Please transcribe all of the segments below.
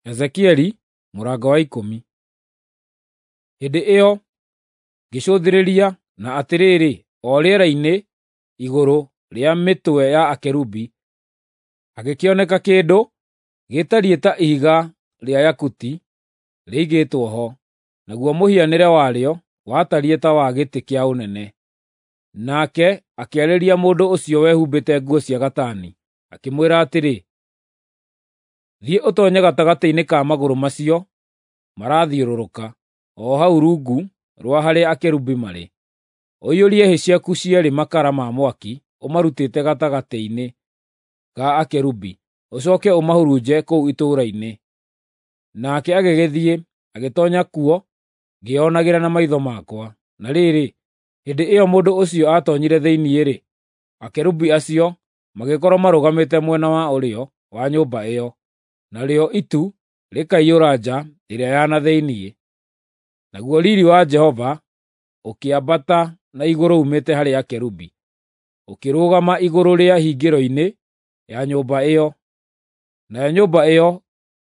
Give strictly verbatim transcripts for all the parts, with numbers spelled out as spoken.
Ezekieli mũrango wa ikũmi. Hĩndĩ ĩyo ngĩcũthĩrĩria, na atĩrĩrĩ, o rĩera-inĩ igũrũ rĩa mĩtwe ya akerubi hagĩkĩoneka kĩndũ gĩtariĩ ta ihiga rĩa yakuti rĩigĩtwo ho, naguo mũhianĩre warĩo watariĩ ta wa gĩtĩ kĩa ũnene. Nake akĩarĩria mũndũ ũcio wehumbĩte nguo cia gatani, akĩmwĩra atĩrĩ, “Thiĩ ũtoonye gatagatĩ-inĩ ka magũrũ macio marathiũrũrũka, o hau rungu rwa harĩa akerubi marĩ. Ũiyũrie hĩ ciaku cierĩ makara ma mwaki ũmarutĩte gatagatĩ-inĩ ka akerubi, ũcooke ũmahurunje kũu itũũra-inĩ.” Nake agĩgĩthiĩ, agĩtoonya kuo ngĩĩonagĩra na maitho makwa. Na rĩrĩ, hĩndĩ ĩyo mũndũ ũcio aatoonyire thĩinĩ-rĩ, akerubi acio magĩkorwo marũgamĩte mwena wa ũrĩo wa nyũmba ĩyo, narĩo itu rĩkaiyũra nja ĩrĩa ya na thĩinĩ. Naguo riiri wa Jehova ũkĩambata na igũrũ uumĩte harĩ akerubi, ũkĩrũgama igũrũ rĩa hingĩro-inĩ ya nyũmba ĩyo, nayo nyũmba ĩyo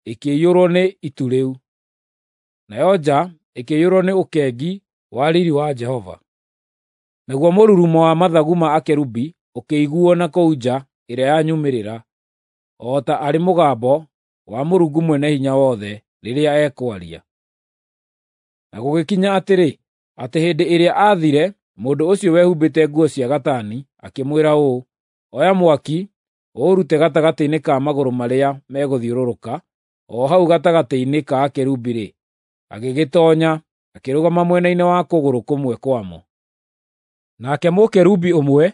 ĩkĩiyũrwo nĩ itu rĩu. Nayo nja ĩkĩiyũrwo nĩ ũkengi wa riiri wa Jehova. Naguo mũrurumo wa mathagu ma akerubi ũkĩiguuo na kũu nja ĩrĩa ya nyumĩrĩra, o ta arĩ mũgambo wa Mũrungu Mwene-Hinya-Wothe rĩrĩa ekwaria. Na gũgĩkinya atĩrĩ, atĩ hĩndĩ ĩrĩa aathire mũndũ ũcio wehumbĩte nguo cia gatani, akĩmwĩra ũũ, “Oya mwaki ũũrute gatagatĩ-inĩ ka magũrũ marĩa megũthiũrũrũka, o hau gatagatĩ-inĩ ka akerubi-rĩ,” agĩgĩtoonya, akĩrũgama mwena-inĩ wa kũgũrũ kũmwe kwamo. Nake mũkerubi ũmwe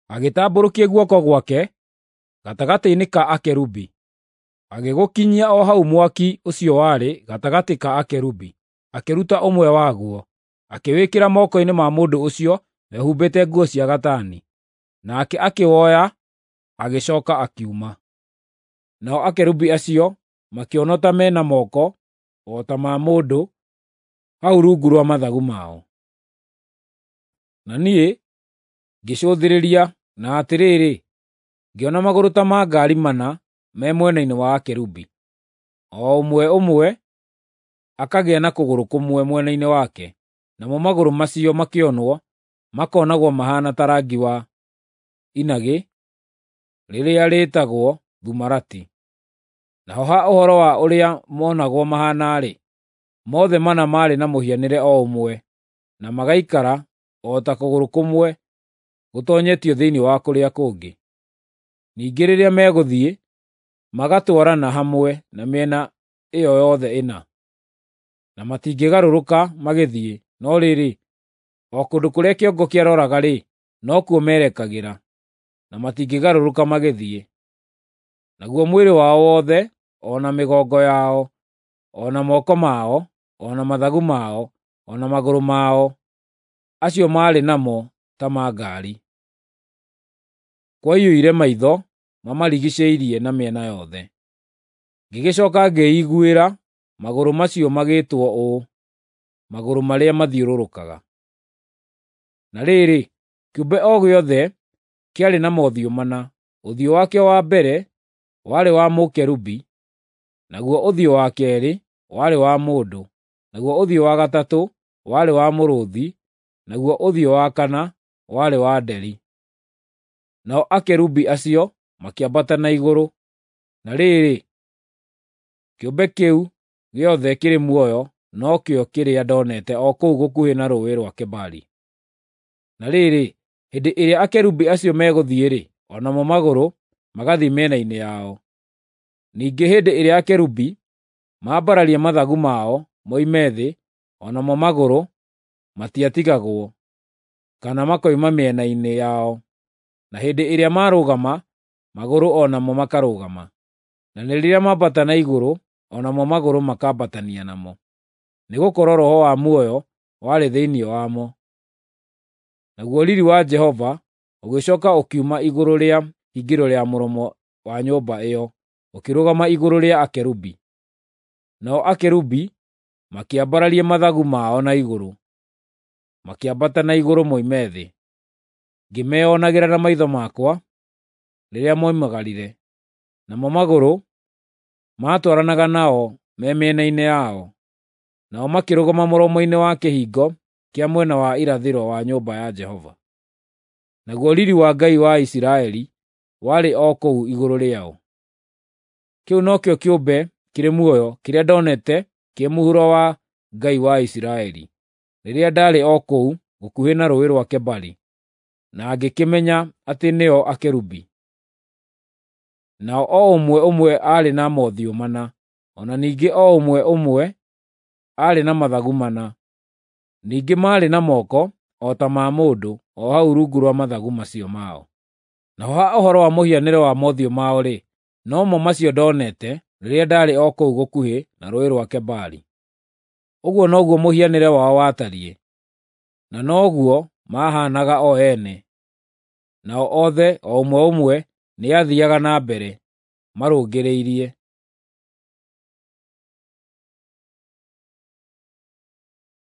agĩtambũrũkia guoko gwake gatagatĩ-inĩ ka akerubi, agĩgũkinyia o hau mwaki ũcio warĩ gatagatĩ ka akerubi, akĩruta ũmwe waguo, akĩwĩkĩra moko-inĩ ma mũndũ ũcio wehumbĩte nguo cia gatani. Nake akĩwoya, agĩcooka akiuma. Nao akerubi acio makĩonwo ta me na moko o ta ma mũndũ hau rungu rwa mathagu mao. Na niĩ ngĩcũthĩrĩria, na atĩrĩrĩ, ngĩona magũrũ ta ma ngaari mana me mwena-inĩ wa akerubi, o ũmwe ũmwe akagĩa na kũgũrũ kũmwe mwena-inĩ wake, namo magũrũ macio makĩonwo makonagwo mahaana ta rangi wa inagĩ rĩrĩa rĩĩtagwo thumarati. Naho ha ũhoro wa ũrĩa monagwo mahaana-rĩ, mothe mana maarĩ na mũhianĩre o ũmwe, na magaikara o ta kũgũrũ kũmwe gũtoonyetio thĩinĩ wa kũrĩa kũngĩ. Ningĩ rĩrĩa megũthiĩ, magatwarana hamwe na mĩena ĩyo yothe ĩna, na matingĩgarũrũka magĩthiĩ, no rĩrĩ, o kũndũ kũrĩa kĩongo kĩaroraga-rĩ, nokuo merekagĩra, na matingĩgarũrũka magĩthiĩ. Naguo mwĩrĩ wao wothe, o na mĩgongo yao, o na moko mao, o na mathagu mao, o na magũrũ mao, acio maarĩ namo ta ma ngaari. Kwaiyũire maitho mamarigiicĩirie na mĩena yothe. Ngĩgĩcooka ngĩĩiguĩra magũrũ macio magĩtwo ũũ, “Magũrũ marĩa mathiũrũrũkaga.” Na rĩrĩ, kĩũmbe o gĩothe kĩarĩ na mothiũ mana. Ũthiũ wakĩo wa mbere warĩ wa mũkerubi, naguo ũthiũ wa keerĩ warĩ wa mũndũ, naguo ũthiũ wa gatatũ warĩ wa mũrũũthi, naguo ũthiũ wa kana warĩ wa nderi. Nao akerubi acio makĩambata na igũrũ. Na rĩrĩ, kĩũmbe kĩu gĩothe kĩrĩ muoyo nokĩo kĩrĩa ndonete o kũu gũkuhĩ na Rũũĩ rwa Kebari. Na rĩrĩ, hĩndĩ ĩrĩa akerubi acio megũthiĩ-rĩ, o namo magũrũ magathiĩ mĩena-inĩ yao. Ningĩ hĩndĩ ĩrĩa akerubi maambararia mathagu mao moime thĩ, o namo magũrũ matiatigagwo, kana makoima mĩena-inĩ yao. Na hĩndĩ ĩrĩa marũgama, magũrũ o namo makarũgama. Na rĩrĩa mambata na igũrũ, o namo magũrũ makambatania namo, nĩgũkorwo roho wa muoyo warĩ thĩinĩ wamo. Naguo riiri wa Jehova ũgĩcooka ũkiuma igũrũ rĩa hingĩro rĩa mũromo wa nyũmba ĩyo, ũkĩrũgama igũrũ rĩa akerubi. Nao akerubi makĩambararia mathagu mao na igũrũ, makĩambata na igũrũ moime thĩ. Ngĩmeonagĩra na maitho makwa rĩrĩa moimagarire, namo magũrũ Maatwaranaga nao me mĩena-inĩ yao. Nao makĩrũgama mũromo-inĩ wa kĩhingo kĩa mwena wa irathĩro wa nyũmba ya Jehova. Naguo riiri wa Ngai wa Isiraeli warĩ o kũu igũrũ rĩao. Kĩu nokĩo kĩũmbe kĩrĩ muoyo kĩrĩa ndonete kĩ mũhuro wa Ngai wa Isiraeli, rĩrĩa ndaarĩ o kũu gũkuhĩ na Rũũĩ rwa Kebari, na ngĩkĩmenya atĩ nĩo akerubi. Nao o ũmwe ũmwe aarĩ na mothiũ mana, o na ningĩ o ũmwe ũmwe aarĩ na mathagu mana. Ningĩ maarĩ na moko o ta ma mũndũ o hau rungu rwa mathagu macio mao. Naho ha ũhoro wa mũhianĩre wa mothiũ mao-rĩ, no mo macio ndonete rĩrĩa ndaarĩ o kũu gũkuhĩ na Rũũĩ rwa Kebari. Ũguo noguo mũhianĩre wao watariĩ, na noguo maahaanaga o ene. Nao othe, o ũmwe ũmwe, nĩathiiaga na mbere, marũngĩrĩirie.